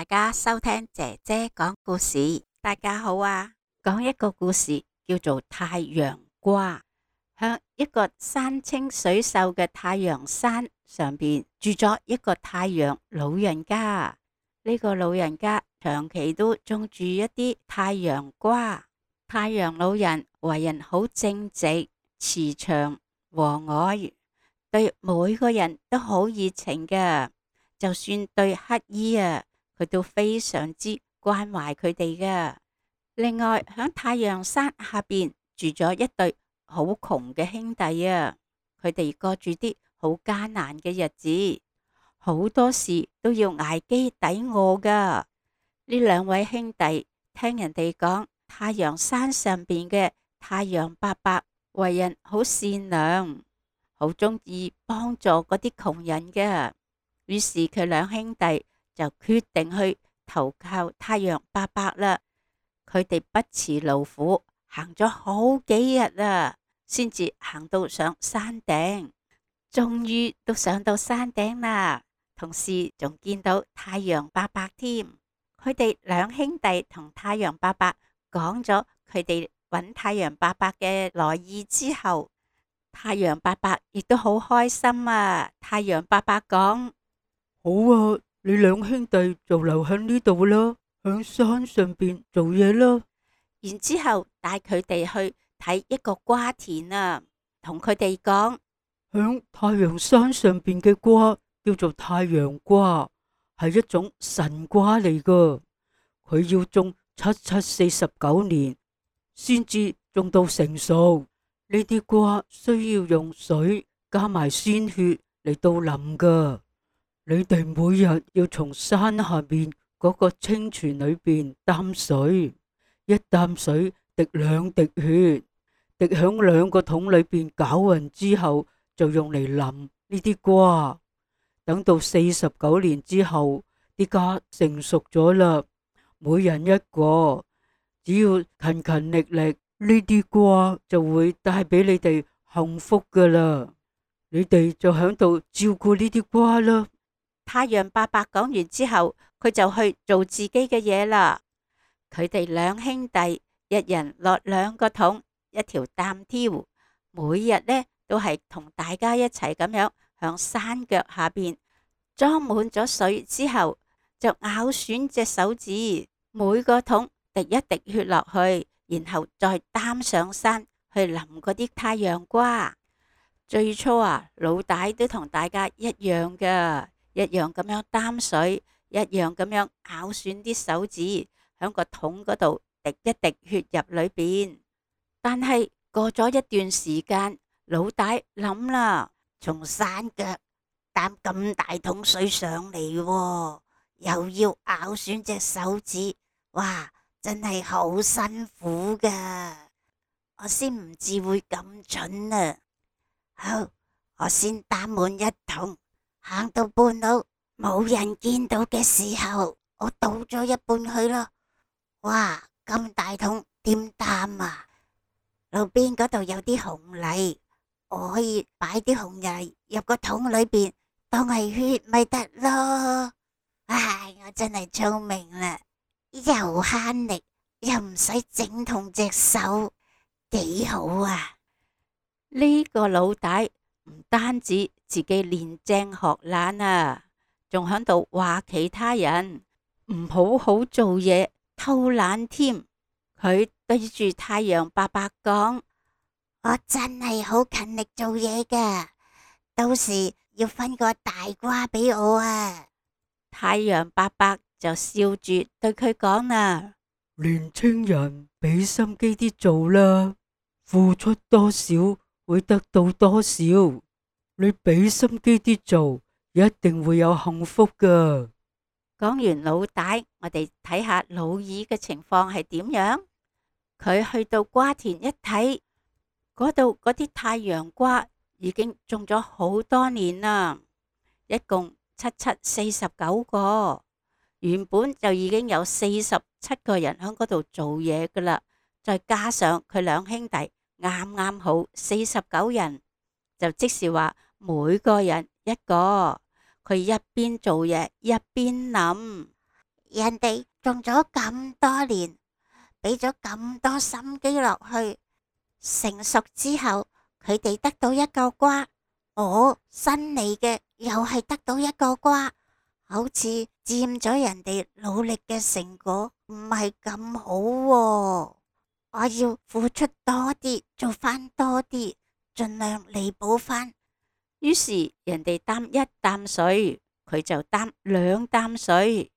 家收聽姐姐講故事。大家好啊，講一個故事叫做太陽瓜。向一個山清水秀嘅太陽山上邊住咗一個太陽老人家。呢個老人家長期都種住一啲太陽瓜。太陽老人為人好正直、慈祥、和藹，對每個人都好熱情嘅。就算對乞衣啊，佢都非常之關懷佢哋嘅。另外，響太陽山下邊住咗一對好窮嘅兄弟啊，佢哋過住啲好艱難嘅日子，好多時都要挨飢抵餓噶。呢兩位兄弟聽人哋講，太陽山上邊嘅太陽伯伯為人好善良，好中意幫助嗰啲窮人嘅。於是佢兩兄弟就決定去投靠太陽伯伯啦。佢哋不辭勞苦，行咗好幾日啊，先至行到上山頂。終於都上到山頂啦，同時仲見到太陽伯伯添。佢哋兩兄弟同太陽伯伯講咗佢哋揾太陽伯伯嘅來意之後，太陽伯伯亦都好開心啊。太陽伯伯講：好啊，你兩兄弟就留喺呢度啦，響山上邊做嘢啦。然之後帶佢哋去睇一個瓜田啊，同佢哋講：響太陽山上邊嘅瓜叫做太陽瓜，係一種神瓜嚟噶。佢要種7749年先至種到成熟。呢啲瓜需要用水加埋鮮血嚟到淋噶。你哋每日要從山下邊嗰個清泉裏邊擔水，一擔水滴2滴血，滴響2個桶裏邊攪匀之後，就用嚟淋呢啲瓜。等到49年之後，啲瓜成熟咗啦，每人一個，只要勤勤力力，呢啲瓜就會帶俾你哋幸福噶啦。你哋就響度照顧呢啲瓜啦。太陽伯伯講完之後，佢就去做自己嘅嘢啦。佢哋兩兄弟一人落2個桶，一條擔挑，每日呢都係同大家一齊咁樣向山腳下邊裝滿咗水之後，就咬損隻手指，每個桶滴一滴血落去，然後再擔上山去淋嗰啲太陽瓜。最初啊，老大都同大家一樣噶，一樣咁樣擔水，一樣咁樣咬損啲手指，響個桶嗰度滴一滴血入裏邊。但係過咗一段時間，老大諗啦，從山腳擔咁大桶水上嚟，又要咬損隻手指，哇，真係好辛苦噶。我先唔至會咁蠢啊。好，我先擔滿1桶。行到半路冇人見到嘅時候，我倒咗一半去咯。哇，咁大桶點擔啊？路邊嗰度有啲紅泥，我可以擺啲紅泥入個桶裏邊當係血咪得咯。唉，我真係聰明啦，又慳力又唔使整痛隻手，幾好啊！呢個老大唔單止自己練精學懶啊，仲響度話其他人唔好好做嘢，偷懶添。佢對住太陽伯伯講：我真係好勤力做嘢噶，到時要分個大瓜俾我啊！太陽伯伯就笑住對佢講啦：年青人，俾心機啲做啦，付出多少會得到多少。你俾心機啲做，一定會有幸福噶。講完老大，我哋睇下老二嘅情況係點樣。佢去到瓜田一睇，嗰度嗰啲太陽瓜已經種咗好多年啦，一共7749個。原本就已經有47個人喺嗰度做嘢噶啦，再加上佢兩兄弟，啱啱好49人，就即是話每個人一個。佢一邊做嘢一邊諗：人哋種咗咁多年，俾咗咁多心機落去，成熟之後，佢哋得到一個瓜，我新嚟嘅又係得到一個瓜，好似佔咗人哋努力嘅成果，唔係咁好喎。我要付出多啲，做翻多啲，盡量彌補翻。於是人哋擔一擔水，佢就擔2擔水；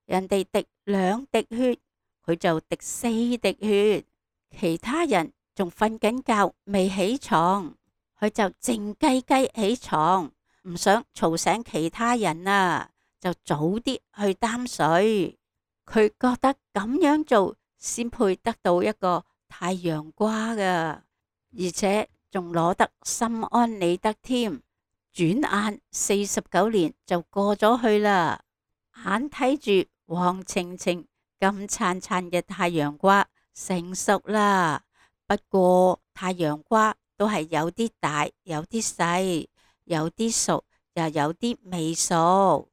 人哋滴2滴血，佢就滴4滴血。其他人仲瞓緊覺未起床，佢就靜雞雞起床，唔想嘈醒其他人啊，就早啲去擔水。佢覺得咁樣做先配得到一個太陽瓜噶，而且仲攞得心安理得添。轉眼49年就過咗去啦，眼睇住黃澄澄咁燦燦嘅太陽瓜成熟啦。不過太陽瓜都係有啲大，有啲細，有啲熟，又有啲未熟。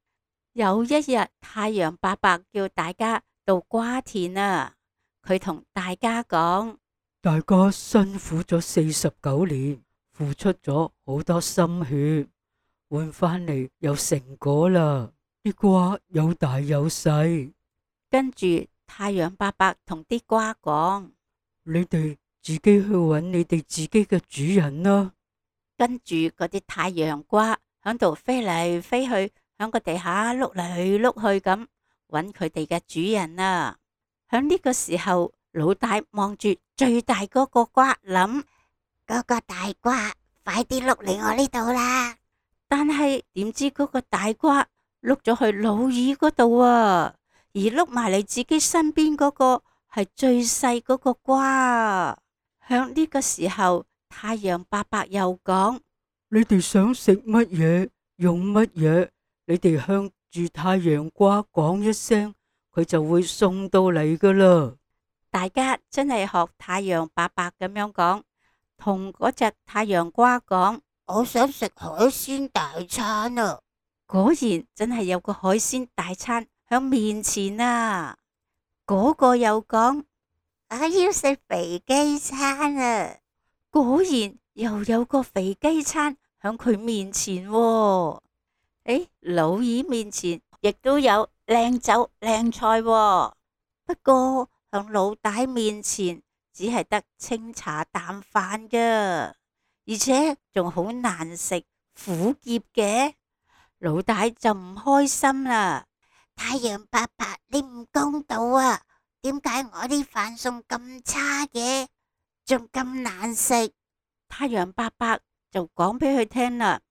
有一日，太陽伯伯叫大家到瓜田啊，佢同大家講：大家辛苦咗49年，付出咗好多心血，換翻嚟有成果啦。啲瓜有大有細。跟住太陽伯伯同啲瓜講：你哋自己去揾你哋自己嘅主人啦。跟住嗰啲太陽瓜響度飛嚟飛去，響個地下碌嚟碌去咁揾佢哋嘅主人啊。響呢個時候，老大望住最大嗰個瓜諗：嗰個大瓜快啲碌嚟我呢度啦！但係點知嗰個大瓜碌咗去老二嗰度啊，而碌埋嚟自己身邊嗰個係最細嗰個瓜。響呢個時候，太陽伯伯又講：你哋想食乜嘢，用乜嘢，你哋向住太陽瓜講一聲，佢就會送到嚟噶啦。大家真係學太陽伯伯咁樣講，同嗰隻太陽瓜講：我想食海鮮大餐啊！果然真係有個海鮮大餐響面前啊！嗰個又講：我要食肥雞餐啊！果然又有個肥雞餐響佢面前喎。老二面前亦都有靚酒靚菜喎，不過響老大面前只係得清茶淡飯噶，而且仲好難食，苦澀嘅。老大就唔開心啦。太陽伯伯，你唔公道啊！點解我啲飯餸咁差嘅，仲咁難食？太陽伯伯就講俾佢聽啦。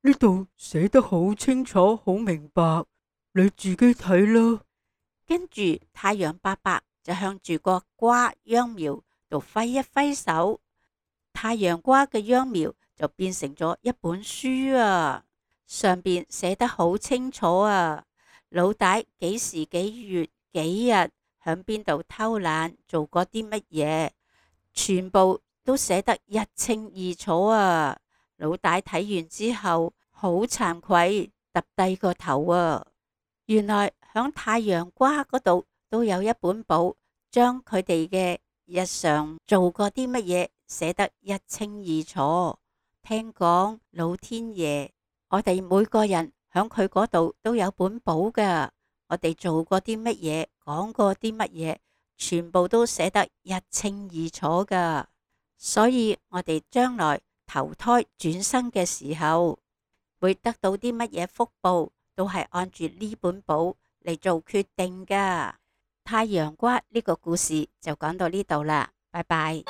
呢度寫得好清楚，好明白，你自己睇啦。跟住太陽伯伯就向住個瓜秧苗度揮一揮手，太陽瓜嘅秧苗就變成咗一本書啊，上邊寫得好清楚啊，老大幾時幾月幾日響邊度偷懶做過啲乜嘢，全部都寫得一清二楚啊。老大睇完之後好慚愧，揼低個頭啊。原來響太陽瓜嗰度都有一本簿，將佢哋嘅日常做過啲乜嘢寫得一清二楚。聽講老天爺，我哋每個人響佢嗰度都有本簿噶，我哋做過啲乜嘢，講過啲乜嘢，全部都寫得一清二楚噶。所以我哋將來投胎轉生嘅時候，會得到啲乜嘢福報，都係按住呢本簿嚟做決定噶。太陽瓜呢個故事就講到呢度啦，拜拜。